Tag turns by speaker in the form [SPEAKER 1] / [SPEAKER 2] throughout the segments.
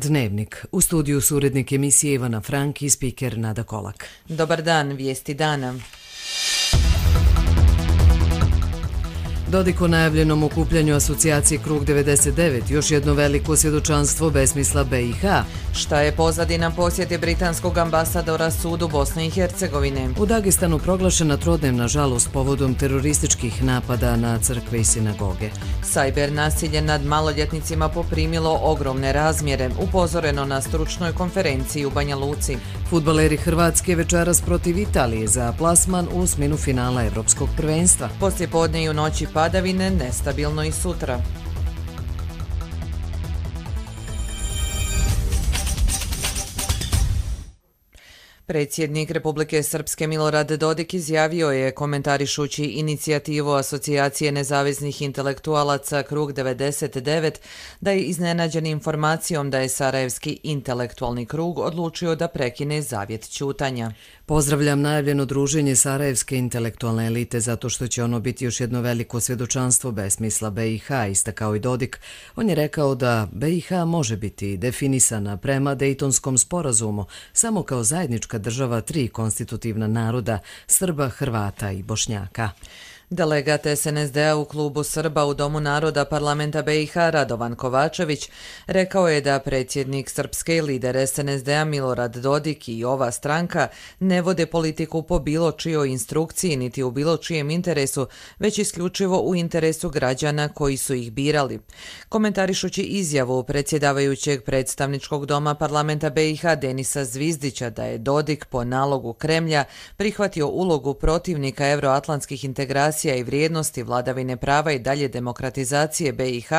[SPEAKER 1] Dnevnik. U studiju su urednik emisije Ivana Frank i spiker Nada Kolak.
[SPEAKER 2] Dobar dan, vijesti dana.
[SPEAKER 1] Dodik o najavljenom okupljanju asocijacije Krug 99, još jedno veliko svjedočanstvo besmisla BiH.
[SPEAKER 2] Šta je pozadina posjete britanskog ambasadora sudu Bosne i Hercegovine?
[SPEAKER 1] U Dagestanu proglašena trodnevna žalost povodom terorističkih napada na crkve i sinagoge.
[SPEAKER 2] Sajber nasilje nad maloljetnicima poprimilo ogromne razmjere, upozoreno na stručnoj konferenciji u Banja Luci.
[SPEAKER 1] Fudbaleri Hrvatske večeras protiv Italije za plasman u osminu finala Evropskog prvenstva.
[SPEAKER 2] Poslijepodne i u noći padavine, nestabilno i sutra. Predsjednik Republike Srpske Milorad Dodik izjavio je, komentarišući inicijativu Asocijacije nezavisnih intelektualaca Krug 99, da je iznenađen informacijom da je Sarajevski intelektualni krug odlučio da prekine zavjet ćutanja.
[SPEAKER 1] Pozdravljam najavljeno druženje Sarajevske intelektualne elite zato što će ono biti još jedno veliko svjedočanstvo besmisla BiH, istakao i Dodik. On je rekao da BiH može biti definisana prema Dejtonskom sporazumu samo kao zajednička država tri konstitutivna naroda, Srba, Hrvata i Bošnjaka.
[SPEAKER 2] Delegat SNSD-a u klubu Srba u Domu naroda parlamenta BiH Radovan Kovačević rekao je da predsjednik Srpske i lider SNSD-a Milorad Dodik i ova stranka ne vode politiku po bilo čijoj instrukciji niti u bilo čijem interesu, već isključivo u interesu građana koji su ih birali. Komentarišući izjavu predsjedavajućeg predstavničkog doma parlamenta BiH Denisa Zvizdića da je Dodik po nalogu Kremlja prihvatio ulogu protivnika euroatlantskih integracija i vrijednosti vladavine prava i dalje demokratizacije BiH,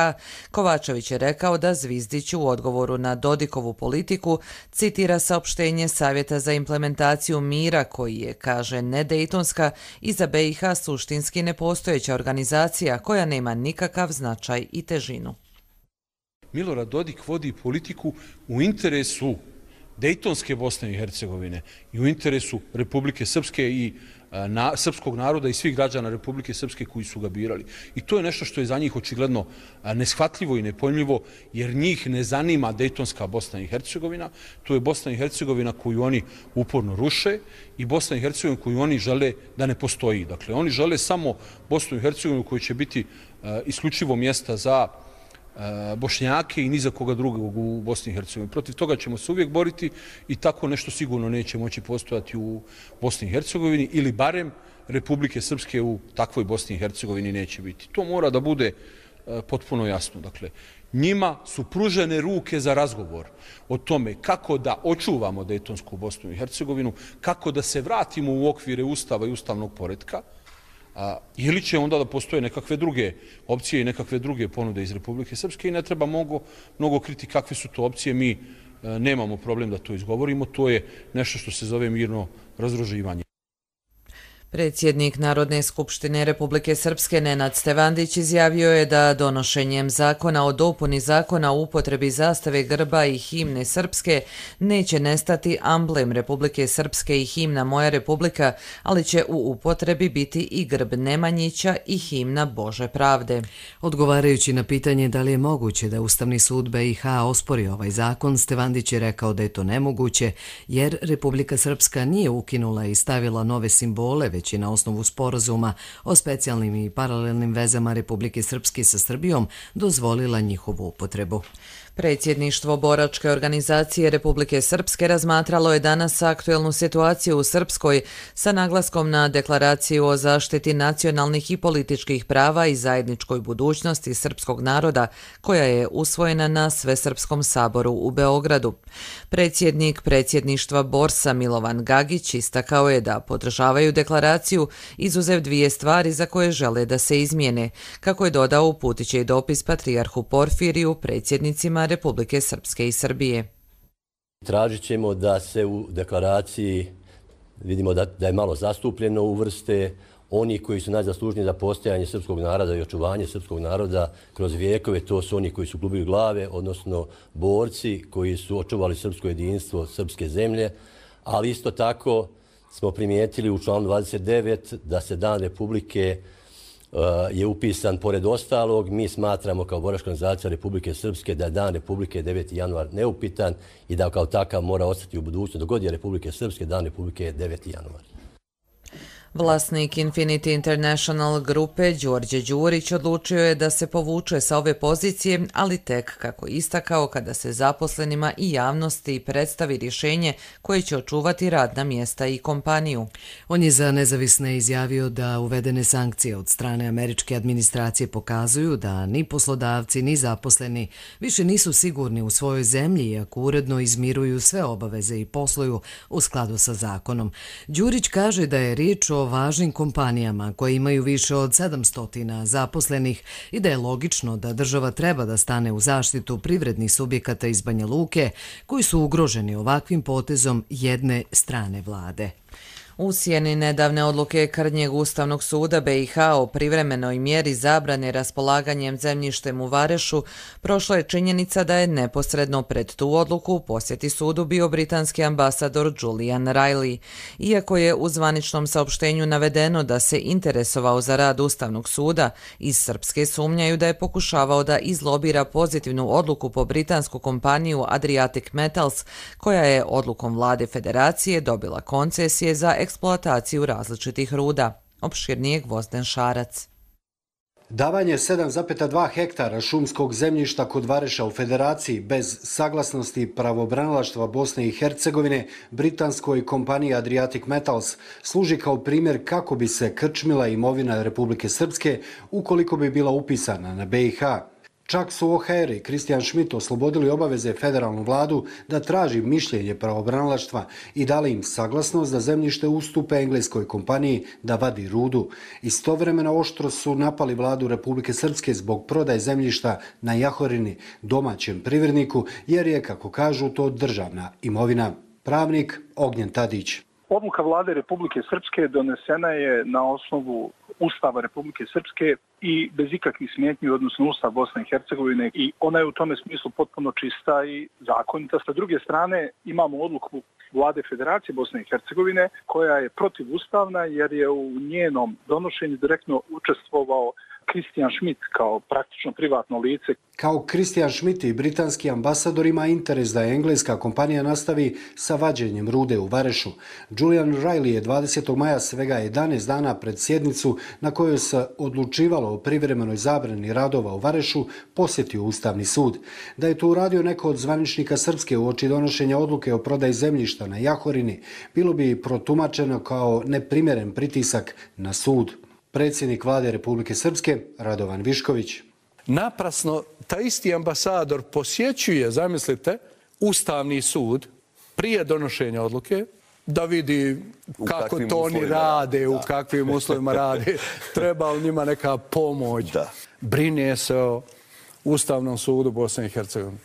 [SPEAKER 2] Kovačević je rekao da Zvizdić u odgovoru na Dodikovu politiku citira saopštenje Savjeta za implementaciju mira koji je, kaže, nedejtonska i za BiH suštinski nepostojeća organizacija koja nema nikakav značaj i težinu.
[SPEAKER 3] Milorad Dodik vodi politiku u interesu Dejtonske Bosne i Hercegovine i u interesu Republike Srpske i srpskog naroda i svih građana Republike Srpske koji su ga birali. I to je nešto što je za njih očigledno neshvatljivo i nepojmljivo, jer njih ne zanima Dejtonska Bosna i Hercegovina. To je Bosna i Hercegovina koju oni uporno ruše i Bosna i Hercegovina koju oni žele da ne postoji. Dakle, oni žele samo Bosnu i Hercegovinu koja će biti isključivo mjesta za Bošnjake i ni za koga drugog u Bosni i Hercegovini. Protiv toga ćemo se uvijek boriti i tako nešto sigurno neće moći postojati u Bosni i Hercegovini ili barem Republike Srpske u takvoj Bosni i Hercegovini neće biti. To mora da bude potpuno jasno. Dakle, njima su pružene ruke za razgovor o tome kako da očuvamo Dejtonsku Bosnu i Hercegovinu, kako da se vratimo u okvire Ustava i ustavnog poretka, ili će onda da postoje nekakve druge opcije i nekakve druge ponude iz Republike Srpske i ne treba mnogo kriti kakve su to opcije. Mi nemamo problem da to izgovorimo, to je nešto što se zove mirno razdruživanje.
[SPEAKER 2] Predsjednik Narodne skupštine Republike Srpske Nenad Stevandić izjavio je da donošenjem zakona o dopuni zakona o upotrebi zastave, grba i himne srpske neće nestati amblem Republike Srpske i himna Moja Republika, ali će u upotrebi biti i grb Nemanjića i himna Bože pravde.
[SPEAKER 1] Odgovarajući na pitanje da li je moguće da Ustavni sud BiH ospori ovaj zakon, Stevandić je rekao da je to nemoguće jer Republika Srpska nije ukinula i stavila nove simbole, već je na osnovu sporazuma o specijalnim i paralelnim vezama Republike Srpske sa Srbijom dozvolila njihovu upotrebu.
[SPEAKER 2] Predsjedništvo boračke organizacije Republike Srpske razmatralo je danas aktuelnu situaciju u Srpskoj sa naglaskom na deklaraciju o zaštiti nacionalnih i političkih prava i zajedničkoj budućnosti srpskog naroda koja je usvojena na Svesrpskom saboru u Beogradu. Predsjednik predsjedništva Borsa Milovan Gagić istakao je da podržavaju deklaraciju izuzev dvije stvari za koje žele da se izmijene. Kako je dodao, uputit će i dopis patrijarhu Porfiriju, predsjednicima Republike Srpske i Srbije.
[SPEAKER 4] Tražit ćemo da se u deklaraciji, vidimo da je malo zastupljeno, uvrste oni koji su najzaslužniji za postojanje srpskog naroda i očuvanje srpskog naroda kroz vijekove. To su oni koji su gubili glave, odnosno borci koji su očuvali srpsko jedinstvo srpske zemlje, ali isto tako smo primijetili u članu 29 da se Dan Republike je upisan pored ostalog. Mi smatramo kao Boračka organizacija Republike Srpske da je Dan Republike 9. januar neupitan i da kao takav mora ostati u budućnosti. Dok god je Republike Srpske, Dan Republike je 9. januar.
[SPEAKER 2] Vlasnik Infinity International grupe Đorđe Đurić odlučio je da se povuče sa ove pozicije, ali tek, kako istakao, kada se zaposlenima i javnosti predstavi rješenje koje će očuvati radna mjesta i kompaniju.
[SPEAKER 1] On je za Nezavisne izjavio da uvedene sankcije od strane američke administracije pokazuju da ni poslodavci ni zaposleni više nisu sigurni u svojoj zemlji iako uredno izmiruju sve obaveze i posluju u skladu sa zakonom. Đurić kaže da je riječ o važnim kompanijama koje imaju više od 700 zaposlenih i da je logično da država treba da stane u zaštitu privrednih subjekata iz Banja Luke koji su ugroženi ovakvim potezom jedne strane vlade.
[SPEAKER 2] U sjeni nedavne odluke Krnjeg Ustavnog suda BiH o privremenoj mjeri zabrane raspolaganjem zemljištem u Varešu prošla je činjenica da je neposredno pred tu odluku u posjeti sudu bio britanski ambasador Julian Riley. Iako je u zvaničnom saopštenju navedeno da se interesovao za rad Ustavnog suda, iz Srpske sumnjaju da je pokušavao da izlobira pozitivnu odluku po britansku kompaniju Adriatic Metals, koja je odlukom vlade federacije dobila koncesije za eksploataciju različitih ruda. Opširnije Gvozden Šarac.
[SPEAKER 5] Davanje 7,2 hektara šumskog zemljišta kod Vareša u Federaciji bez saglasnosti pravobranilaštva Bosne i Hercegovine britanskoj kompaniji Adriatic Metals služi kao primjer kako bi se krčmila imovina Republike Srpske ukoliko bi bila upisana na BiH. Čak su OHR i Kristijan Schmidt oslobodili obaveze federalnu vladu da traži mišljenje pravobranilaštva i dali im saglasnost da zemljište ustupe engleskoj kompaniji da vadi rudu. Istovremeno oštro su napali vladu Republike Srpske zbog prodaje zemljišta na Jahorini domaćem privredniku jer je, kako kažu, to državna imovina. Pravnik Ognjen Tadić.
[SPEAKER 6] Odluka vlade Republike Srpske donesena je na osnovu Ustava Republike Srpske i bez ikakvih smetnji, odnosno Ustav Bosne i Hercegovine, i ona je u tome smislu potpuno čista i zakonita. Sa druge strane imamo odluku vlade Federacije Bosne i Hercegovine koja je protivustavna jer je u njenom donošenju direktno učestvovao Kristijan Schmidt kao praktično privatno lice.
[SPEAKER 5] Kao Kristijan Schmidt i britanski ambasador ima interes da engleska kompanija nastavi sa vađenjem rude u Varešu. Julian Riley je 20. maja, svega 11 dana pred sjednicu na kojoj se odlučivalo o privremenoj zabrani radova u Varešu, posjetio Ustavni sud. Da je to uradio neko od zvaničnika Srpske uoči donošenja odluke o prodaji zemljišta na Jahorini, bilo bi protumačeno kao neprimjeren pritisak na sud. Predsjednik vlade Republike Srpske, Radovan Višković.
[SPEAKER 7] Naprasno, taj isti ambasador posjećuje, zamislite, Ustavni sud prije donošenja odluke, da vidi kako to oni rade, u kakvim uslovima rade, treba li njima neka pomoć. Brine se o Ustavnom sudu Bosne i Hercegovine.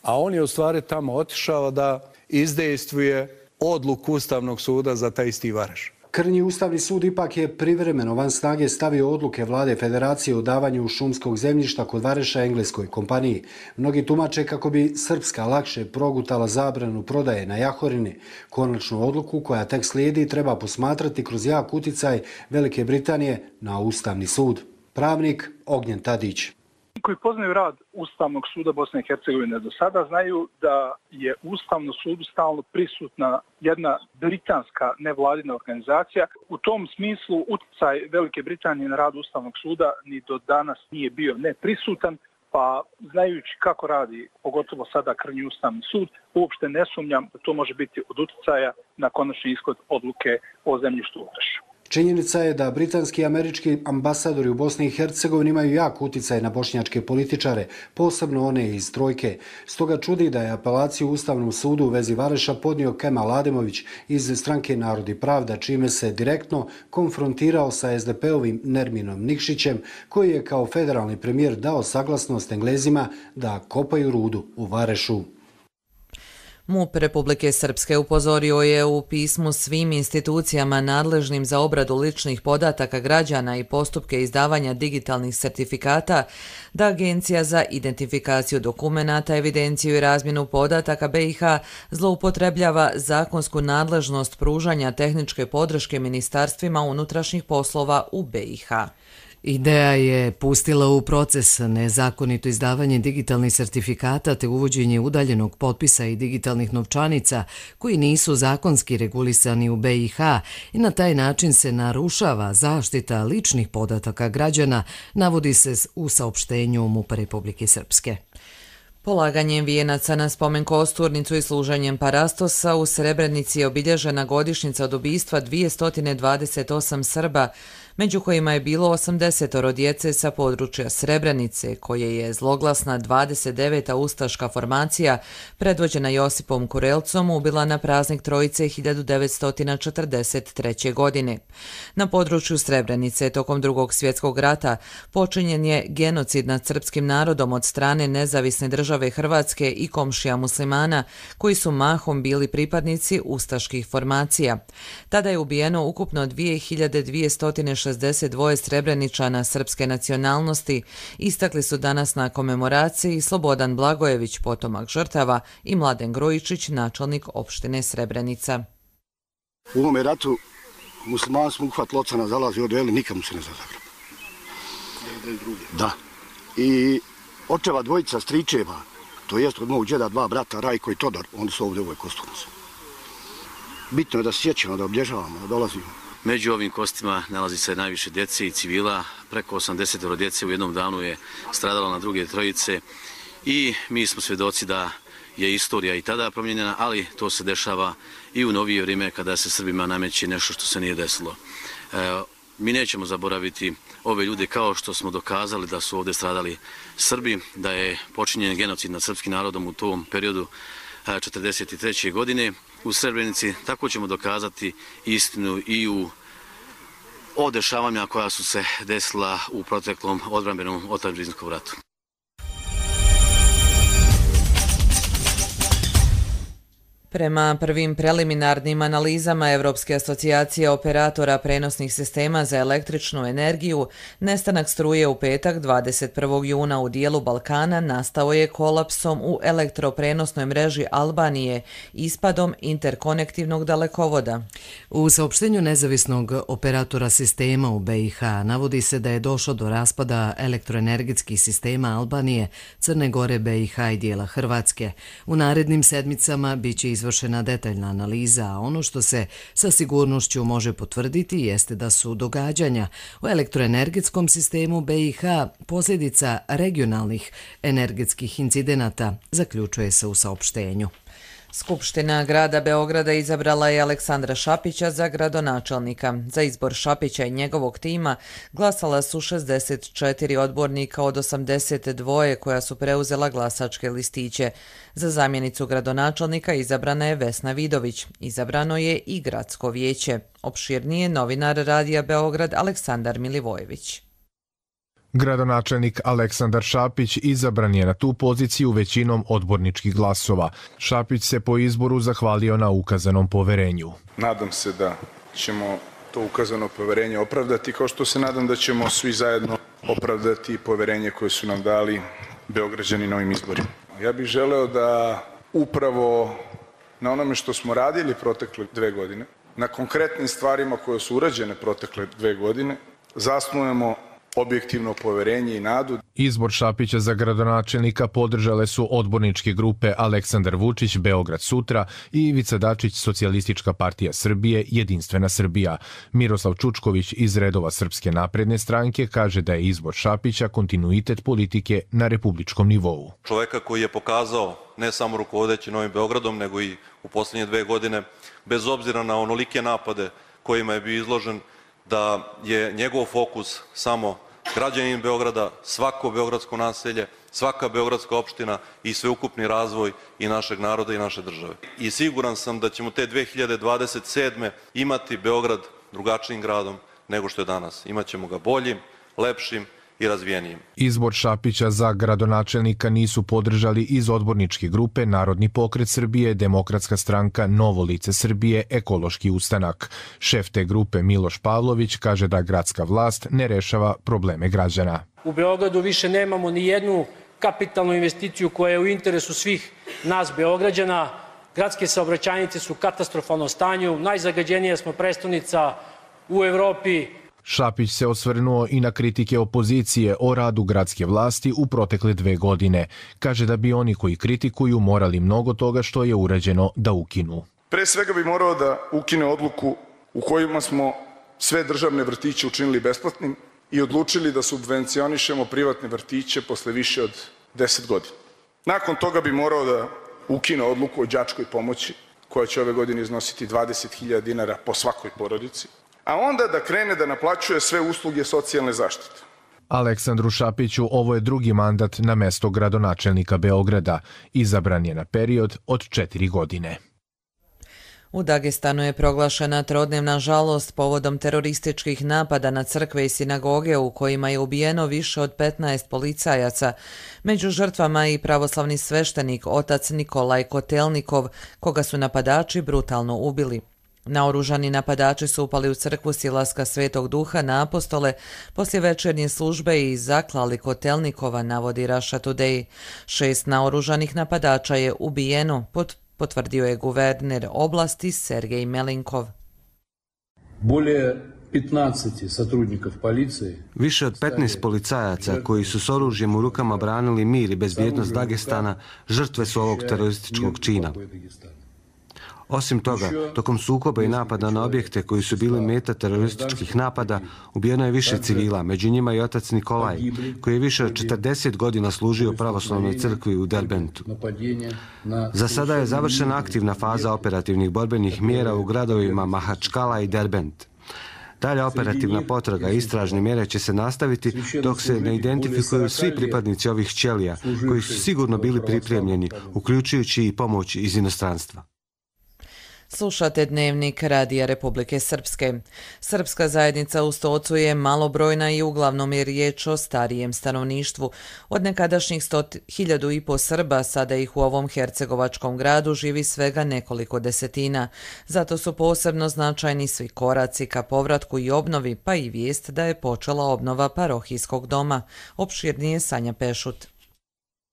[SPEAKER 7] A on je u stvari tamo otišao da izdejstvuje odluku Ustavnog suda za taj isti Vareš.
[SPEAKER 5] Krnji Ustavni sud ipak je privremeno van snage stavio odluke vlade Federacije o davanju šumskog zemljišta kod Vareša engleskoj kompaniji. Mnogi tumače kako bi Srpska lakše progutala zabranu prodaje na Jahorini. Konačnu odluku koja tek slijedi treba posmatrati kroz jak uticaj Velike Britanije na Ustavni sud. Pravnik Ognjen Tadić.
[SPEAKER 6] Koji poznaju rad Ustavnog suda Bosne i Hercegovine do sada znaju da je u Ustavnom sudu stalno prisutna jedna britanska nevladina organizacija. U tom smislu utjecaj Velike Britanije na rad Ustavnog suda ni do danas nije bio neprisutan, pa znajući kako radi, pogotovo sada Krnji Ustavni sud, uopšte ne sumnjam da to može biti od utjecaja na konačni ishod odluke o zemljištu u Varešu.
[SPEAKER 5] Činjenica je da britanski i američki ambasadori u Bosni i Hercegovini imaju jak utjecaj na bošnjačke političare, posebno one iz Trojke. Stoga čudi da je apelaciju u Ustavnom sudu u vezi Vareša podnio Kemal Ademović iz stranke Narod i pravda, čime se direktno konfrontirao sa SDP-ovim Nerminom Nikšićem, koji je kao federalni premijer dao saglasnost Englezima da kopaju rudu u Varešu.
[SPEAKER 2] MUP Republike Srpske upozorio je u pismu svim institucijama nadležnim za obradu ličnih podataka građana i postupke izdavanja digitalnih sertifikata da Agencija za identifikaciju dokumenata, evidenciju i razmjenu podataka BiH zloupotrebljava zakonsku nadležnost pružanja tehničke podrške ministarstvima unutrašnjih poslova u BiH.
[SPEAKER 1] Ideja je pustila u proces nezakonito izdavanje digitalnih sertifikata te uvođenje udaljenog potpisa i digitalnih novčanica koji nisu zakonski regulisani u BiH i na taj način se narušava zaštita ličnih podataka građana, navodi se u saopštenju MUP-a Republike Srpske.
[SPEAKER 2] Polaganjem vijenaca na spomen kosturnicu i služenjem parastosa u Srebrenici je obilježena godišnjica od ubistva 228 Srba, među kojima je bilo 80 djece sa područja Srebrenice, koje je zloglasna 29. ustaška formacija, predvođena Josipom Kurelcom, ubila na praznik Trojice 1943. godine. Na području Srebrenice tokom Drugog svjetskog rata počinjen je genocid nad srpskim narodom od strane Nezavisne države Hrvatske i komšija muslimana, koji su mahom bili pripadnici ustaških formacija. Tada je ubijeno ukupno 2262 Srebreničana srpske nacionalnosti, istakli su danas na komemoraciji Slobodan Blagojević, potomak žrtava, i Mladen Grujičić, načelnik opštine Srebrenica.
[SPEAKER 8] U ovome ratu muslimani smo uhvat locana zalazi odveli, nikamu se ne zagrab. Da. I očeva dvojica stričeva, to jest od mog džeda dva brata, Rajko i Todor, oni su ovdje u ovoj kosturnici. Bitno je da se sjećamo, da obilježavamo, da dolazimo.
[SPEAKER 9] Među ovim kostima nalazi se najviše djece i civila. Preko 80 djece u jednom danu je stradalo na druge trojice i mi smo svjedoci da je istorija i tada promijenjena, ali to se dešava i u novije vrijeme kada se Srbima nameće nešto što se nije desilo. Mi nećemo zaboraviti ove ljude kao što smo dokazali da su ovdje stradali Srbi, da je počinjen genocid nad srpskim narodom u tom periodu 1943. godine u Srebrenici. Tako ćemo dokazati istinu i o dešavanja koja su se desila u proteklom odbrambenom otadžbinskom ratu.
[SPEAKER 2] Prema prvim preliminarnim analizama Evropske asocijacije operatora prenosnih sistema za električnu energiju, nestanak struje u petak 21. juna u dijelu Balkana nastao je kolapsom u elektroprenosnoj mreži Albanije, ispadom interkonektivnog dalekovoda.
[SPEAKER 1] U saopštenju nezavisnog operatora sistema u BiH navodi se da je došlo do raspada elektroenergetskih sistema Albanije, Crne Gore, BiH i dijela Hrvatske. U narednim sedmicama biće izvršena detaljna analiza, a ono što se sa sigurnošću može potvrditi jeste da su događanja u elektroenergetskom sistemu BiH posljedica regionalnih energetskih incidenata, zaključuje se u saopštenju.
[SPEAKER 2] Skupština grada Beograda izabrala je Aleksandra Šapića za gradonačelnika. Za izbor Šapića i njegovog tima glasala su 64 odbornika od 82 koja su preuzela glasačke listiće. Za zamjenicu gradonačelnika izabrana je Vesna Vidović. Izabrano je i gradsko vijeće. Opširnije novinar Radija Beograd Aleksandar Milivojević.
[SPEAKER 10] Gradonačelnik Aleksandar Šapić izabran je na tu poziciju većinom odborničkih glasova. Šapić se po izboru zahvalio na ukazanom poverenju.
[SPEAKER 11] Nadam se da ćemo to ukazano poverenje opravdati, kao što se nadam da ćemo svi zajedno opravdati poverenje koje su nam dali Beograđani na ovim izborima. Ja bih želeo da upravo na onome što smo radili protekle 2 godine, na konkretnim stvarima koje su urađene protekle 2 godine, zasnujemo objektivno poverenje i nadu.
[SPEAKER 10] Izbor Šapića za gradonačelnika podržale su odborničke grupe Aleksandar Vučić, Beograd sutra i Ivica Dačić, Socijalistička partija Srbije, Jedinstvena Srbija. Miroslav Čučković iz redova Srpske napredne stranke kaže da je izbor Šapića kontinuitet politike na republičkom nivou.
[SPEAKER 12] Čoveka koji je pokazao ne samo rukovodeći Novim Beogradom, nego i u posljednje 2 godine, bez obzira na onolike napade kojima je bio izložen, da je njegov fokus samo građanin Beograda, svako beogradsko naselje, svaka beogradska opština i sveukupni razvoj i našeg naroda i naše države. I siguran sam da ćemo te 2027. imati Beograd drugačijim gradom nego što je danas. Imaćemo ga boljim, lepšim i razvijenijim.
[SPEAKER 10] Izbor Šapića za gradonačelnika nisu podržali iz odborničke grupe Narodni pokret Srbije, Demokratska stranka, Novo lice Srbije, Ekološki ustanak. Šef te grupe Miloš Pavlović kaže da gradska vlast ne rešava probleme građana.
[SPEAKER 13] U Beogradu više nemamo ni jednu kapitalnu investiciju koja je u interesu svih nas Beograđana. Gradske saobraćajnice su u katastrofalnom stanju, najzagađenija smo prestonica u Evropi.
[SPEAKER 10] Šapić se osvrnuo i na kritike opozicije o radu gradske vlasti u protekle 2 godine. Kaže da bi oni koji kritikuju morali mnogo toga što je urađeno da ukinu.
[SPEAKER 11] Pre svega bi morao da ukine odluku u kojima smo sve državne vrtiće učinili besplatnim i odlučili da subvencionišemo privatne vrtiće posle više od 10 godina. Nakon toga bi morao da ukine odluku o đačkoj pomoći, koja će ove godine iznositi 20.000 dinara po svakoj porodici, a onda da krene da naplaćuje sve usluge socijalne zaštite.
[SPEAKER 10] Aleksandru Šapiću ovo je drugi mandat na mesto gradonačelnika Beograda. Izabran je na period od 4 godine.
[SPEAKER 2] U Dagestanu je proglašena trodnevna žalost povodom terorističkih napada na crkve i sinagoge u kojima je ubijeno više od 15 policajaca. Među žrtvama i pravoslavni sveštenik otac Nikolaj Kotelnikov, koga su napadači brutalno ubili. Naoružani napadači su upali u crkvu Silaska Svetog Duha na Apostole poslije večernje službe i zaklali Kotelnikova, navodi Russia Today. 6 naoružanih napadača je ubijeno, potvrdio je guverner oblasti Sergej Melinkov.
[SPEAKER 14] Više od 15 policajaca koji su s oružjem u rukama branili mir i bezbjednost Dagestana žrtve su ovog terorističkog čina. Osim toga, tokom sukoba i napada na objekte koji su bili meta terorističkih napada, ubijeno je više civila, među njima i otac Nikolaj, koji je više od 40 godina služio pravoslavnoj crkvi u Derbentu. Za sada je završena aktivna faza operativnih borbenih mjera u gradovima Mahačkala i Derbent. Dalja operativna potraga i istražne mjere će se nastaviti dok se ne identifikuju svi pripadnici ovih ćelija, koji su sigurno bili pripremljeni, uključujući i pomoć iz inostranstva.
[SPEAKER 2] Slušate Dnevnik Radija Republike Srpske. Srpska zajednica u Stocu je malobrojna i uglavnom je riječ o starijem stanovništvu. Od nekadašnjih 100.500 Srba sada ih u ovom hercegovačkom gradu živi svega nekoliko desetina. Zato su posebno značajni svi koraci ka povratku i obnovi, pa i vijest da je počela obnova parohijskog doma. Opširnije Sanja Pešut.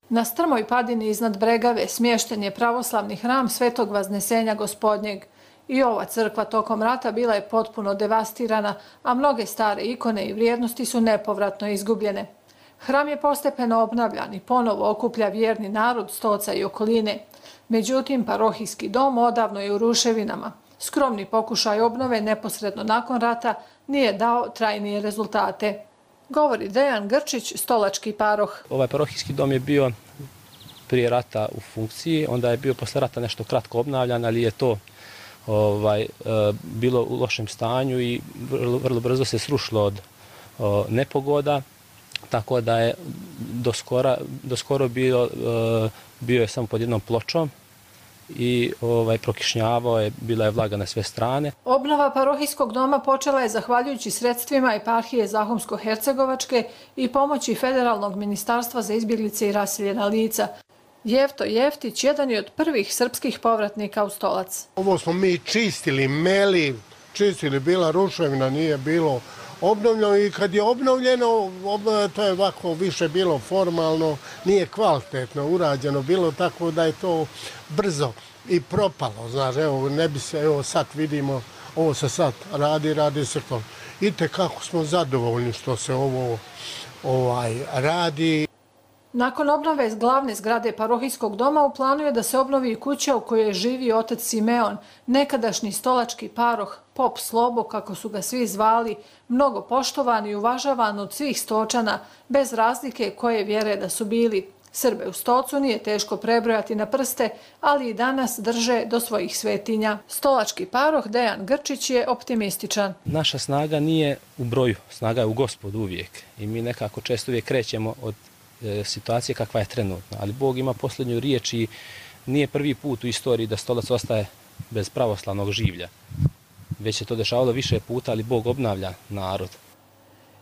[SPEAKER 15] Na strmoj padini iznad Bregave smješten je pravoslavni hram Svetog Vaznesenja Gospodnjeg. I ova crkva tokom rata bila je potpuno devastirana, a mnoge stare ikone i vrijednosti su nepovratno izgubljene. Hram je postepeno obnavljan i ponovo okuplja vjerni narod Stoca i okoline. Međutim, parohijski dom odavno je u ruševinama. Skromni pokušaj obnove neposredno nakon rata nije dao trajnije rezultate. Govori Dejan Grčić, stolački paroh.
[SPEAKER 16] Ovaj parohijski dom je bio prije rata u funkciji, onda je bio posle rata nešto kratko obnavljan, ali je to bilo u lošem stanju i vrlo brzo se srušilo od nepogoda, tako da je doskoro bio je samo pod jednom pločom i prokišnjavao je, bila je vlaga na sve strane.
[SPEAKER 15] Obnova parohijskog doma počela je zahvaljujući sredstvima eparhije Zahumsko-Hercegovačke i pomoći Federalnog ministarstva za izbjeglice i raseljena lica. Jefto Jeftić jedan je od prvih srpskih povratnika u Stolac.
[SPEAKER 17] Ovo smo mi čistili, meli, bila ruševina, nije bilo obnovljeno i kad je obnovljeno, to je ovako više bilo formalno, nije kvalitetno urađeno, bilo tako da je to brzo i propalo. Znaš, evo, ne bi se, evo sad vidimo, ovo se sad radi se to. Vidite kako smo zadovoljni što se ovo radi.
[SPEAKER 15] Nakon obnove glavne zgrade parohijskog doma u planu je da se obnovi kuća u kojoj živi otac Simeon, nekadašnji stolački paroh, pop Slobo, kako su ga svi zvali, mnogo poštovan i uvažavan od svih Stočana, bez razlike koje vjere da su bili. Srbe u Stocu nije teško prebrojati na prste, ali i danas drže do svojih svetinja. Stolački paroh Dejan Grčić je optimističan.
[SPEAKER 16] Naša snaga nije u broju, snaga je u Gospodu uvijek i mi nekako često uvijek krećemo od situacije kakva je trenutna, ali Bog ima posljednju riječ i nije prvi put u istoriji da Stolac ostaje bez pravoslavnog življa. Već se to dešavalo više puta, ali Bog obnavlja narod.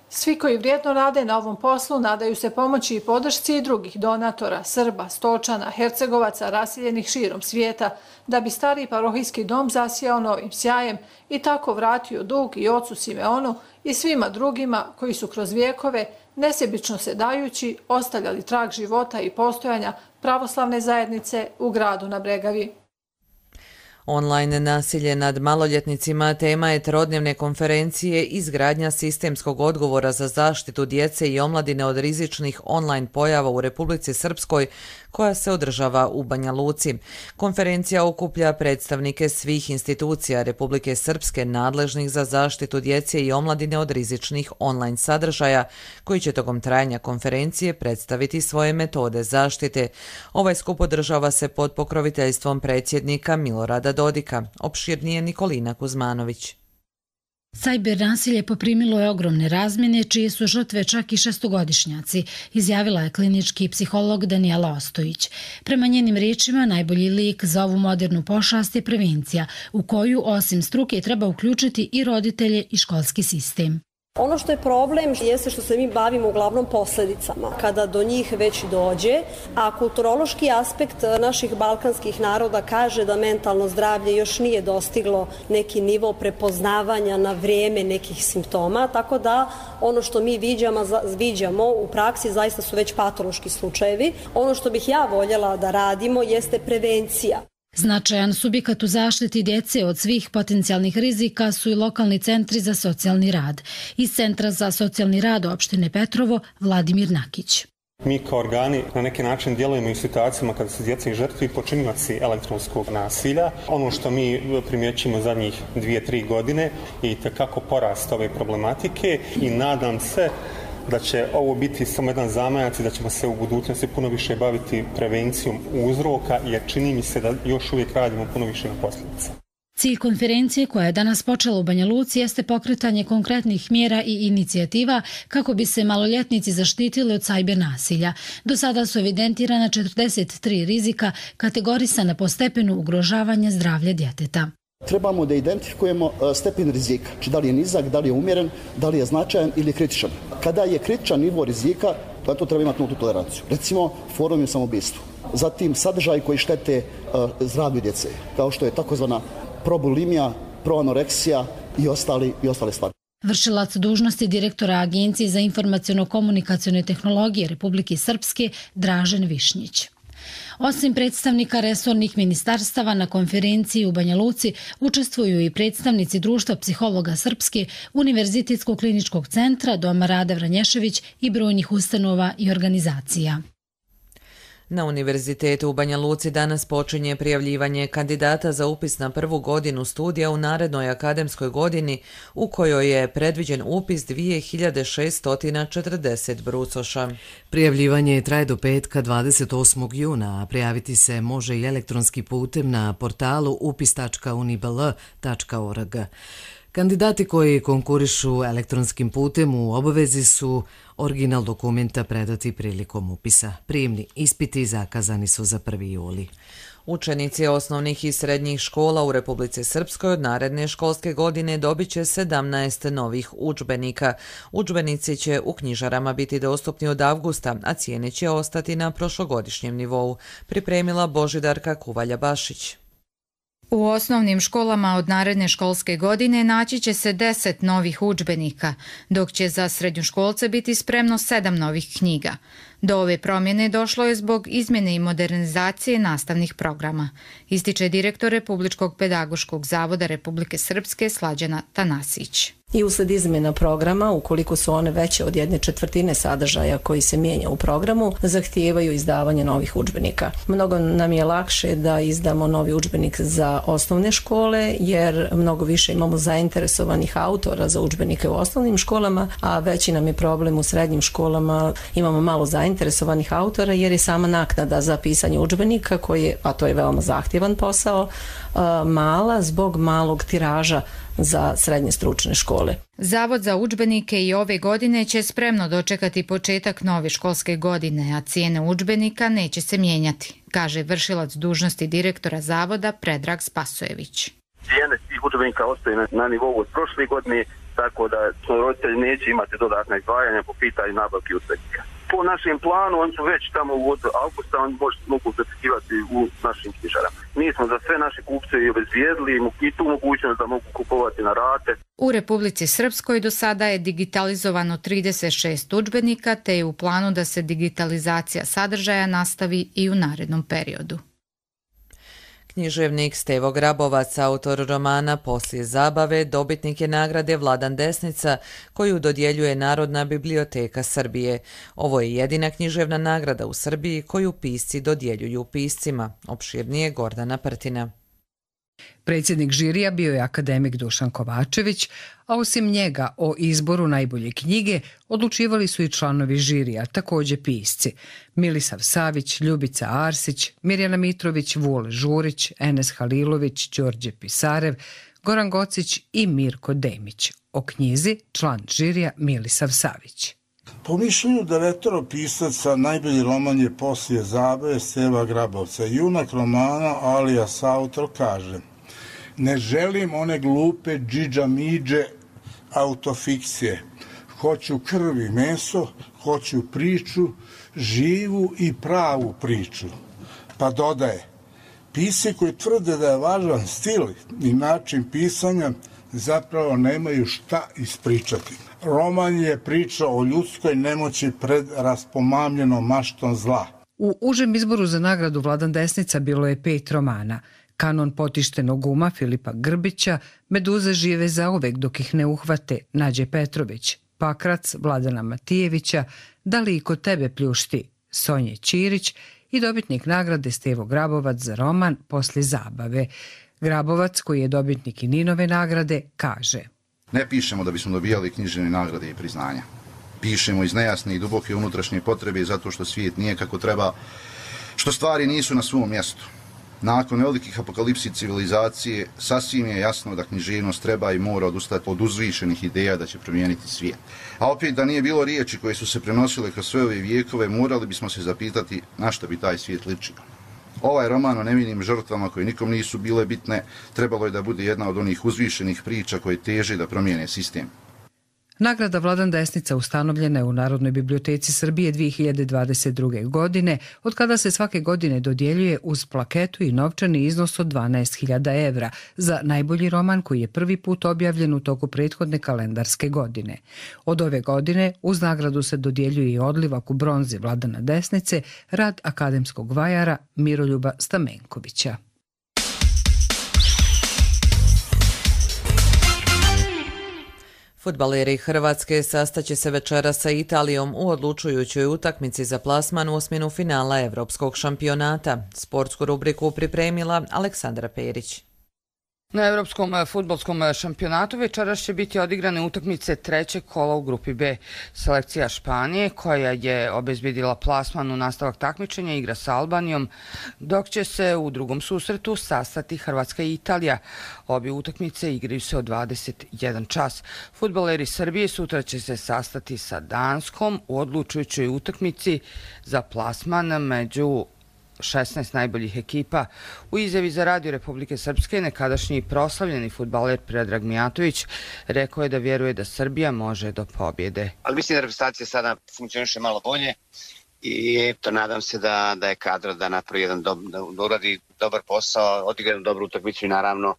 [SPEAKER 15] Svi koji vrijedno rade na ovom poslu nadaju se pomoći i podršci i drugih donatora, Srba, Stočana, Hercegovaca, raseljenih širom svijeta, da bi stari parohijski dom zasijao novim sjajem i tako vratio dug i ocu Simeonu i svima drugima koji su kroz vijekove, nesebično se dajući, ostavljali trag života i postojanja pravoslavne zajednice u gradu na Bregavi.
[SPEAKER 2] Online nasilje nad maloljetnicima tema je trodnevne konferencije izgradnja sistemskog odgovora za zaštitu djece i omladine od rizičnih online pojava u Republici Srpskoj koja se održava u Banja Luci. Konferencija okuplja predstavnike svih institucija Republike Srpske nadležnih za zaštitu djece i omladine od rizičnih online sadržaja koji će tokom trajanja konferencije predstaviti svoje metode zaštite. Ovaj skup održava se pod pokroviteljstvom predsjednika Milorada Dodika. Opširnije Nikolina Kuzmanović.
[SPEAKER 18] Sajber nasilje poprimilo je ogromne razmjene, čije su žrtve čak i šestogodišnjaci, izjavila je klinički psiholog Danijela Ostojić. Prema njenim riječima, najbolji lijek za ovu modernu pošast je prevencija, u koju osim struke treba uključiti i roditelje i školski sistem.
[SPEAKER 19] Ono što je problem jeste što se mi bavimo uglavnom posljedicama, kada do njih već dođe, a kulturološki aspekt naših balkanskih naroda kaže da mentalno zdravlje još nije dostiglo neki nivo prepoznavanja na vrijeme nekih simptoma, tako da ono što mi viđamo u praksi zaista su već patološki slučajevi. Ono što bih ja voljela da radimo jeste prevencija.
[SPEAKER 18] Značajan subjekat u zaštiti djece od svih potencijalnih rizika su i lokalni centri za socijalni rad. Iz Centra za socijalni rad opštine Petrovo, Vladimir Nakić.
[SPEAKER 20] Mi kao organi na neki način djelujemo i u situacijama kada su djeca i žrtve i počinioci elektronskog nasilja. Ono što mi primjećujemo zadnjih 2-3 godine je itekako porast ove problematike i nadam se da će ovo biti samo jedan zamajac i da ćemo se u budućnosti puno više baviti prevencijom uzroka, jer čini mi se da još uvijek radimo puno više na posljedice.
[SPEAKER 18] Cilj konferencije koja je danas počela u Banja Luci jeste pokretanje konkretnih mjera i inicijativa kako bi se maloljetnici zaštitili od sajber nasilja. Do sada su evidentirana 43 rizika kategorisana po stepenu ugrožavanja zdravlja djeteta.
[SPEAKER 8] Trebamo da identifikujemo stepen rizika, znači da li je nizak, da li je umjeren, da li je značajan ili kritičan. Kada je kritičan nivo rizika, to treba imati nultu toleranciju. Recimo, forum je samoubistvo. Zatim, sadržaj koji štete zdravlju djece, kao što je takozvana probulimija, proanoreksija i ostale stvari.
[SPEAKER 18] Vršilac dužnosti direktora Agencije za informaciono-komunikacione tehnologije Republike Srpske Dražen Višnjić. Osim predstavnika resornih ministarstava na konferenciji u Banja Luci učestvuju i predstavnici Društva psihologa Srpske, Univerzitetskog kliničkog centra, Doma Rade Vranješević i brojnih ustanova i organizacija.
[SPEAKER 2] Na Univerzitetu u Banja Luci danas počinje prijavljivanje kandidata za upis na prvu godinu studija u narednoj akademskoj godini u kojoj je predviđen upis 2640 brucoša.
[SPEAKER 1] Prijavljivanje traje do petka 28. juna, a prijaviti se može i elektronski putem na portalu upis.unibl.org. Kandidati koji konkurišu elektronskim putem u obavezi su original dokumenta predati prilikom upisa. Prijemni ispiti zakazani su za 1. juli.
[SPEAKER 2] Učenici osnovnih i srednjih škola u Republici Srpskoj od naredne školske godine dobit će 17 novih udžbenika. Udžbenici će u knjižarama biti dostupni od avgusta, a cijene će ostati na prošlogodišnjem nivou, pripremila Božidarka Kuvalja-Bašić.
[SPEAKER 21] U osnovnim školama od naredne školske godine naći će se 10 novih udžbenika, dok će za srednjoškolce biti spremno 7 novih knjiga. Do ove promjene došlo je zbog izmjene i modernizacije nastavnih programa, ističe direktor Republičkog pedagoškog zavoda Republike Srpske Slađana Tanasić.
[SPEAKER 22] I usled izmjena programa, ukoliko su one veće od 1/4 sadržaja koji se mijenja u programu, zahtijevaju izdavanje novih udžbenika. Mnogo nam je lakše da izdamo novi udžbenik za osnovne škole, jer mnogo više imamo zainteresovanih autora za udžbenike u osnovnim školama, a veći nam je problem u srednjim školama, imamo malo zainteresovanih autora, jer je sama naknada za pisanje udžbenika, a to je veoma zahtjevan posao, mala zbog malog tiraža za srednje stručne škole.
[SPEAKER 21] Zavod za udžbenike i ove godine će spremno dočekati početak nove školske godine, a cijene udžbenika neće se mijenjati, kaže vršilac dužnosti direktora zavoda Predrag Spasojević.
[SPEAKER 23] Cijene svih udžbenika ostaju na nivou od prošle godine, tako da roditelji neće imati dodatna izdvajanja po pitanju nabavki udžbenika. Po našem planu, oni su već tamo od augusta, oni mogu zapisivati u našim knjižarama. Mi smo za sve naše kupce i obezvijedili i tu mogućnost da mogu kupovati na rate.
[SPEAKER 21] U Republici Srpskoj do sada je digitalizovano 36 udžbenika, te je u planu da se digitalizacija sadržaja nastavi i u narednom periodu.
[SPEAKER 2] Književnik Stevo Grabovac, autor romana Poslije zabave, dobitnik je nagrade Vladan Desnica, koju dodjeljuje Narodna biblioteka Srbije. Ovo je jedina književna nagrada u Srbiji koju pisci dodjeljuju piscima. Opširnije Gordana Prtina.
[SPEAKER 3] Predsjednik žirija bio je akademik Dušan Kovačević, a osim njega o izboru najbolje knjige odlučivali su i članovi žirija, također pisci. Milisav Savić, Ljubica Arsić, Mirjana Mitrović, Vule Žurić, Enes Halilović, Đorđe Pisarev, Goran Gocić i Mirko Demić. O knjizi član žirija Milisav Savić.
[SPEAKER 4] Po mišljenju 9 pisaca najbolji roman je Poslije zabave Steva Grabovca. Junak romana alias autor kaže: ne želim one glupe džidža-midže autofikcije. Hoću krv i meso, hoću priču, živu i pravu priču. Pa dodaje: pisci koji tvrde da je važan stil i način pisanja zapravo nemaju šta ispričati. Roman je priča o ljudskoj nemoći pred raspomamljenom maštom zla.
[SPEAKER 3] U užem izboru za nagradu Vladan Desnica bilo je 5 romana. Kanon potištenog uma Filipa Grbića, Meduze žive zauvek dok ih ne uhvate Nađe Petrović, Pakrac Vladana Matijevića, Da li i kod tebe pljušti Sonje Ćirić i dobitnik nagrade Stevo Grabovac za roman Poslije zabave. Grabovac, koji je dobitnik i Ninove nagrade, kaže:
[SPEAKER 7] ne pišemo da bismo dobijali književne nagrade i priznanja. Pišemo iz nejasne i duboke unutrašnje potrebe zato što svijet nije kako treba, što stvari nisu na svom mjestu. Nakon velikih apokalipsi civilizacije, sasvim je jasno da književnost treba i mora odustati od uzvišenih ideja da će promijeniti svijet. A opet da nije bilo riječi koje su se prenosile kroz sve ove vijekove, morali bismo se zapitati na što bi taj svijet ličio. Ovaj roman o nevinim žrtvama koje nikom nisu bile bitne, trebalo je da bude jedna od onih uzvišenih priča koje teže da promijene sistem.
[SPEAKER 3] Nagrada Vladan Desnica ustanovljena je u Narodnoj biblioteci Srbije 2022. godine, od kada se svake godine dodjeljuje uz plaketu i novčani iznos od 12.000 evra za najbolji roman koji je prvi put objavljen u toku prethodne kalendarske godine. Od ove godine uz nagradu se dodjeljuje i odlivak u bronzi Vladana Desnice, rad akademskog vajara Miroljuba Stamenkovića.
[SPEAKER 2] Fudbaleri Hrvatske sastaće se večeras sa Italijom u odlučujućoj utakmici za plasman u osminu finala Evropskog šampionata. Sportsku rubriku pripremila Aleksandra Perić.
[SPEAKER 24] Na Evropskom fudbalskom šampionatu večeras će biti odigrane utakmice trećeg kola u grupi B. Selekcija Španije, koja je obezbedila plasman u nastavak takmičenja, igra sa Albanijom, dok će se u drugom susretu sastati Hrvatska i Italija. Obje utakmice igraju se od 21 čas. Fudbaleri Srbije sutra će se sastati sa Danskom u odlučujućoj utakmici za plasman među 16 najboljih ekipa. U izjavi za Radio Republike Srpske nekadašnji proslavljeni fudbaler Predrag Mijatović rekao je da vjeruje da Srbija može do pobjede.
[SPEAKER 25] Ali mislim da reprezentacija sada funkcioniše malo bolje i to nadam se da je kadro da napravi jedan da uradi dobar posao, odigra jednu dobru utakmicu i naravno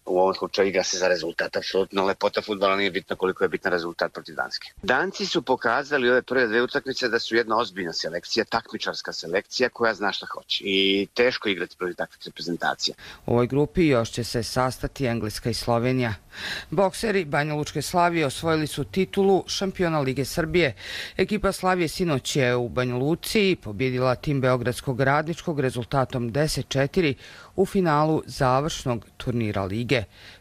[SPEAKER 25] u ovom slučaju igra se za rezultat. Apsolutno lepota fudbala nije bitna koliko je bitan rezultat protiv Danske. Danci su pokazali ove prve dve utakmice da su jedna ozbiljna selekcija, takmičarska selekcija koja zna šta hoće i teško igrati protiv takvih reprezentacija.
[SPEAKER 24] U ovoj grupi još će se sastati Engleska i Slovenija. Bokseri Banja Lučke Slavije osvojili su titulu šampiona Lige Srbije. Ekipa Slavije sinoć je u Banja Luci pobjedila tim Beogradskog Radničkog rezultatom 10-4 u finalu završnog turnira Lige.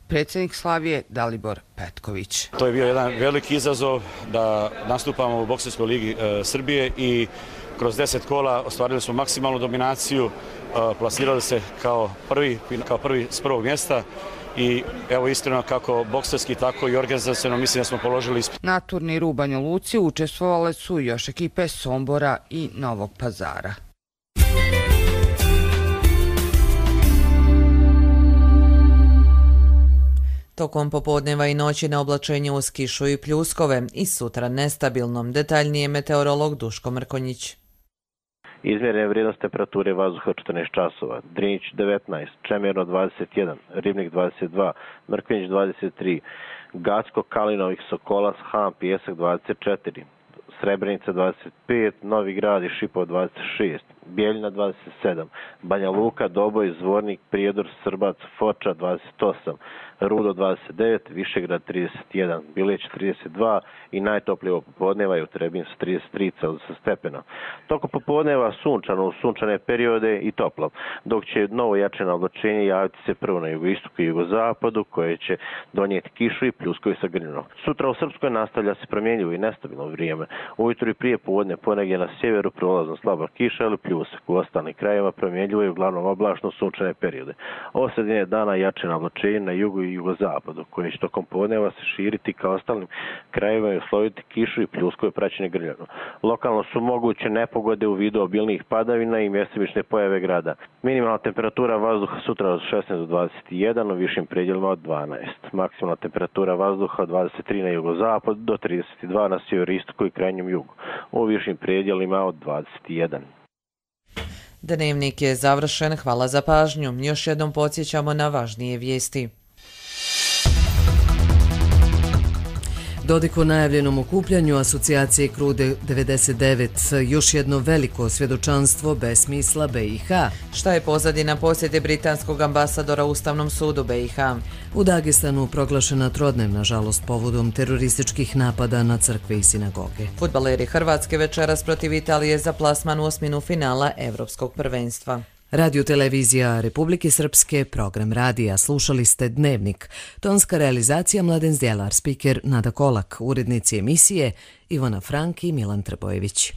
[SPEAKER 24] Predsjednik Slavije Dalibor Petković.
[SPEAKER 26] To je bio jedan veliki izazov da nastupamo u Bokserskoj ligi Srbije i kroz 10 kola ostvarili smo maksimalnu dominaciju, plasirali se kao prvi s prvog mjesta i evo iskreno kako bokserski tako i organizaciono mislim da smo položili ispit.
[SPEAKER 24] Na turniru u Banja Luci učestvovale su još ekipe Sombora i Novog Pazara.
[SPEAKER 2] Tokom popodneva i noći na oblačenju uz kišu i pljuskove i sutra nestabilnom, detaljnije meteorolog Duško Mrkonjić.
[SPEAKER 27] Izmjerene vrijednost temperature vazduha 14 časova, Drinić 19, Čemirno 21, Ribnik 22, Mrkonjić 23, Gacko, Kalinovih, Sokolac, Han, Pijesak 24, Srebrenica 25, Novi Grad i Šipov 26. Bijeljina 27, Banja Luka, Doboj, Zvornik, Prijedor, Srbac, Foča 28, Rudo 29, Višegrad 31, Bileć 32 i najtoplije popodneva je u Trebinju 33 stepena. Tokom popodneva sunčano u sunčane periode i toplo, dok će novo jačeno oblačenje javiti se prvo na jugoistoku i jugozapadu koje će donijeti kišu i pljuskovi sa grmljinom. Sutra u Srpskoj nastavlja se promjenjivo i nestabilno vrijeme. Ujutro i prije podne ponegdje na sjeveru prolazno slaba kiša ili pljusak. U ostalim krajevima promjenjivo i uglavnom oblačno sunčane periode. Ovo sredine dana jačeno oblačenje na jugu i jugozapadu, koje će tokom podneva se širiti ka ostalim krajevima i usloviti kišu i pljuskove praćene grmljavinom. Lokalno su moguće nepogode u vidu obilnih padavina i mjestimične pojave grada. Minimalna temperatura vazduha sutra od 16 do 21, u višim predjelima od 12. Maksimalna temperatura vazduha od 23 na jugozapadu do 32 na sjeveroistoku i krajnjem jugu. U višim predjelima od 21.
[SPEAKER 2] Dnevnik je završen, hvala za pažnju. Još jednom podsjećamo na važnije vijesti.
[SPEAKER 1] Dodik o najavljenom okupljanju asocijacije KRU 99, još jedno veliko svjedočanstvo besmisla BiH.
[SPEAKER 2] Šta je pozadina posjete britanskog ambasadora Ustavnom sudu BiH?
[SPEAKER 1] U Dagestanu proglašena trodnevna žalost povodom terorističkih napada na crkve i sinagoge.
[SPEAKER 2] Fudbaleri Hrvatske večeras protiv Italije za plasman u osminu finala Evropskog prvenstva.
[SPEAKER 1] Radio televizija Republike Srpske, program radija, slušali ste Dnevnik. Tonska realizacija Mladen Zdjelar, spiker Nada Kolak, urednici emisije Ivana Frank i Milan Trbojević.